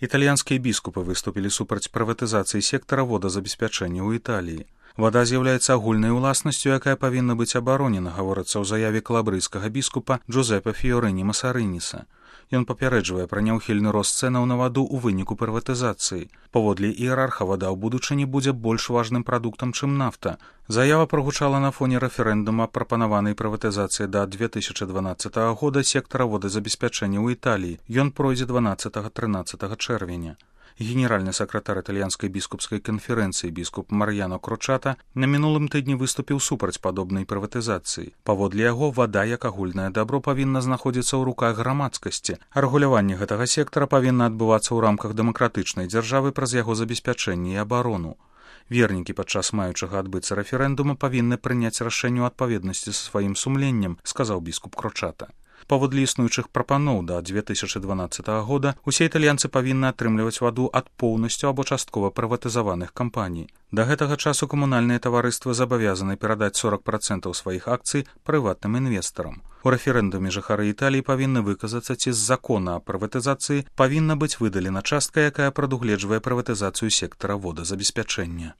Італьянскія біскупы выступілі супраць прыватызацыі сектара водазабеспячэння ў Італіі. Вада з'яўляецца агульнай уласнасцю, якая павінна быць абаронена, гаворыцца ў заяве калабрыйскага біскупа Джузепе Фіорыні Масарыніса. Ён папярэджвае пра няўхільны рост цэнаў на ваду ў выніку прыватызацыі. Паводле іерарха, вада ў будучыні будзе больш важным прадуктам, чым нафта. Заява прагучала на фоне рэферэндума прапанаванай прыватызацыі да 2012 года сектара водазабеспячэння ў Італіі. Ён пройдзе 12-13 чэрвеня. Генеральны сакратар італьянскай біскупскай канферэнцыі біскуп Мар'яно Крочата на мінулым тыдні выступіў супраць падобнай прыватызацыі. Паводле яго, вада як агульнае дабро павінна знаходзіцца ў руках грамадскасці, а рэгуляванне гэтага сектара павінна адбывацца ў рамках дэмакратычнай дзяржавы праз яго забеспячэнне і абарону. Вернікі падчас маючага адбыцца рэферэндума павінны прыняць рашэнне ў адпаведнасці са сваім сумленнем, сказаў біскуп Крочата. Паводле існуючых прапаноў да 2012 года усе італьянцы павінны атрымліваць ваду ад поўнасцю або часткова прыватызаваных кампаній. Да гэтага часу камунальныя таварыствы забавязаны перадаць 40% сваіх акцый прыватным інвестарам. У рэферэндуме жыхары Італіі павінны выказацца, ці з закона о прыватызацыі павінна быць выдалена частка, якая прадугледжвае прыватызацыю сектара водазабеспячэння.